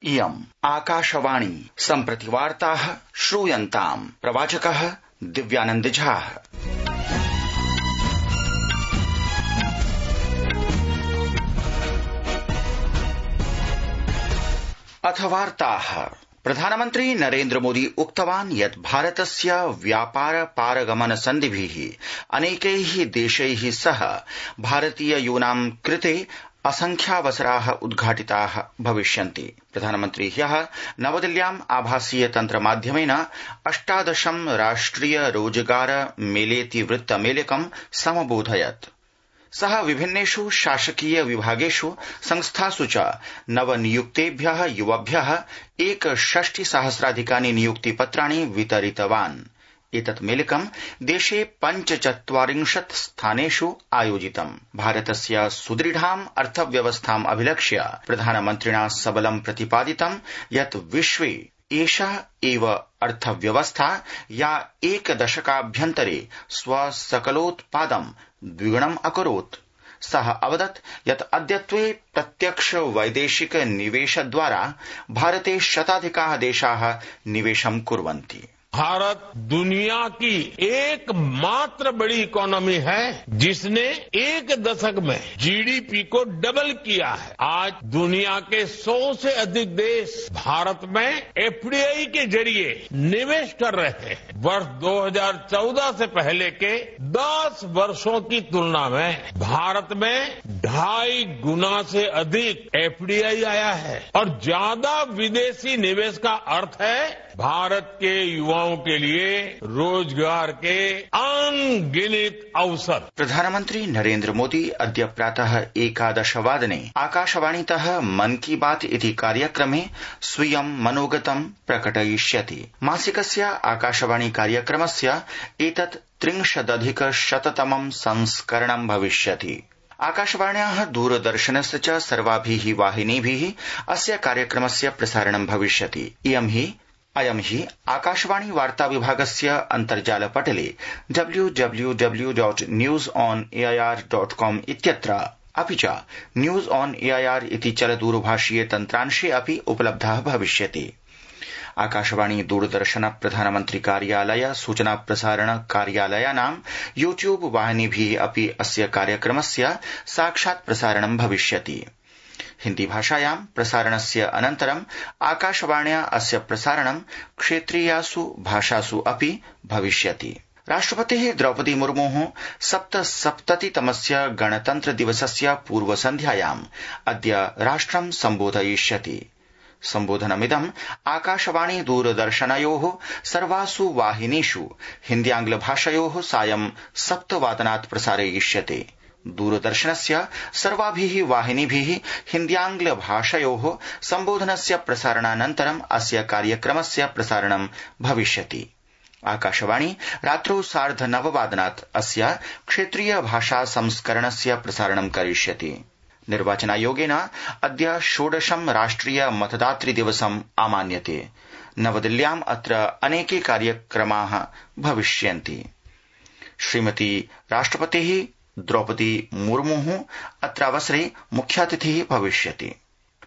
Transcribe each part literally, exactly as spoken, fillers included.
इयम् आकाशवाणी सम्प्रति वार्ताः श्रूयन्ताम् प्रवाचकः दिव्यानन्द झा। अथ वार्ताः। प्रधानमन्त्री नरेन्द्र मोदी उक्तवान् यत् भारतस्य व्यापार पारगमन सन्धिभिः अनेकैः देशैः सह भारतीय यूनां कृते असंख्यावसराः उद्घाटिताः भविष्यन्ति। प्रधानमन्त्री ह्यः नवदिल्ल्याम् आभासीय तन्त्र माध्यमेन अष्टादशं राष्ट्रिय रोजगार मेलेति वृत्तमेलकं समबोधयत्। सः विभिन्नेषु शासकीय विभागेषु संस्थासु च नवनियुक्तेभ्यः युवभ्यः एकषष्टि सहस्राधिकानि नियुक्तिपत्राणि वितरितवान्। एतत् मेलकं देशे पञ्चचत्वारिंशत् स्थानेषु आयोजितम्। भारतस्य सुदृढाम् अर्थव्यवस्थाम् अभिलक्ष्य प्रधानमन्त्रिणा सबलं प्रतिपादितं यत् विश्वे एषा एव अर्थव्यवस्था या एकदशकाभ्यन्तरे स्वसकलोत्पादं द्विगुणम् अकरोत्। सः अवदत् यत् अद्यत्वे प्रत्यक्ष वैदेशिक निवेशद्वारा भारते शताधिकाः देशाः निवेशं कुर्वन्ति। भारत दुनिया की एकमात्र बड़ी इकोनॉमी है जिसने एक दशक में जीडीपी को डबल किया है। आज दुनिया के सौ से अधिक देश भारत में एफडीआई के जरिए निवेश कर रहे हैं। वर्ष दो हज़ार चौदह से पहले के दस वर्षों की तुलना में भारत में ढाई गुना से अधिक एफडीआई आया है और ज्यादा विदेशी निवेश का अर्थ है भारत के युवाओं के लिए रोजगार के अनगिनत अवसर। प्रधानमन्त्री नरेन्द्र मोदी अद्य प्रातः एकादशवादने आकाशवाणीतः मन की बात इति कार्यक्रमे स्वीयं मनोगतं प्रकटयिष्यति। मासिकस्य आकाशवाणी कार्यक्रमस्य एतत् त्रिंशदधिक शततमं संस्करणं भविष्यति। आकाशवाण्याः दूरदर्शनस्य च सर्वाभिः वाहिनीभिः अस्य कार्यक्रमस्य प्रसारणं भविष्यति। इयं हि अयं हि आकाशवाणी वार्ता विभागस्य अन्तर्जालपटले W W W dot news on AIR dot com इत्यत्र अपि च न्यूज ऑन एआईआर इति चलदूरभाषीय तन्त्रांशे अपि उपलब्धः भविष्यति। आकाशवाणी दूरदर्शन प्रधानमन्त्री कार्यालय सूचना प्रसारण कार्यालयानां यूट्यूब वाहिनीभिः अपि अस्य कार्यक्रमस्य साक्षात् प्रसारणं भविष्यति। हिन्दी भाषायां प्रसारणस्य अनन्तरं आकाशवाण्या अस्य प्रसारणं क्षेत्रीयासु भाषासु अपि भविष्यति। राष्ट्रपतिः द्रौपदी मुर्मुः सप्तसप्ततितमस्य गणतन्त्र दिवसस्य पूर्वसन्ध्यायाम् अद्य राष्ट्रं सम्बोधयिष्यति। सम्बोधनमिदं आकाशवाणी दूरदर्शनयोः सर्वासु वाहिनीषु हिन्द्यांग्लभाषयोः सायं सप्तवादनात् प्रसारयिष्यते। दूरदर्शनस्य सर्वाभिः वाहिनीभिः हिन्द्यांग्लभाषयोः सम्बोधनस्य प्रसारणानन्तरम् अस्य कार्यक्रमस्य प्रसारणं भविष्यति। आकाशवाणी रात्रौ सार्धनववादनात् अस्य क्षेत्रीय भाषा संस्करणस्य प्रसारणं करिष्यति। निर्वाचनायोगेन अद्य षोडशं राष्ट्रिय मतदातृ दिवसम् आमान्यते। नवदिल्ल्याम् अत्र अनेके कार्यक्रमाः भविष्यन्ति। श्रीमती राष्ट्रपतिः द्रौपदी मुर्मुः अत्रावसरे मुख्यातिथिः भविष्यति।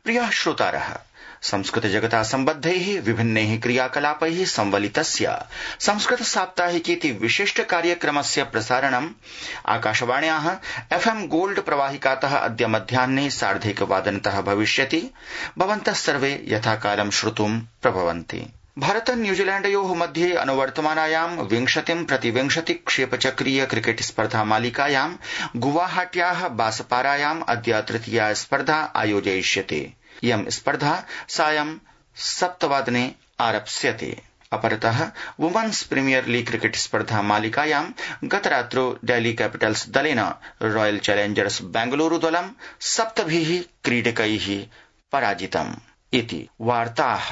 प्रियाः श्रोतारः, संस्कृत जगता सम्बद्धैः विभिन्नैः क्रियाकलापैः संवलितस्य संस्कृत साप्ताहिकीति विशिष्ट कार्यक्रमस्य प्रसारणम् आकाशवाण्याः एफएम गोल्ड प्रवाहिकातः अद्य मध्याह्ने सार्धैकवादनतः भविष्यति। भवन्तः सर्वे यथाकालं श्रोतुं प्रभवन्ति। भारत न्यूजीलैण्डयोः मध्ये अनुवर्तमानायां विंशतिं प्रतिविंशति क्षेपचक्रीय क्रिकेट स्पर्धा मालिकायां गुवाहाट्याः बासपारायाम् अद्य तृतीया स्पर्धा आयोजयिष्यते। इयं स्पर्धा सायं सप्तवादने आरप्स्यते। अपरतः वुमेन्स प्रीमियर लीग क्रिकेट स्पर्धा मालिकायां गतरात्रौ डेल्ही कैपिटल्स दलेन रॉयल चैलेंजर्स बेंगलुरु दलं सप्तभिः क्रीडकैः पराजितम् इति वार्ताः।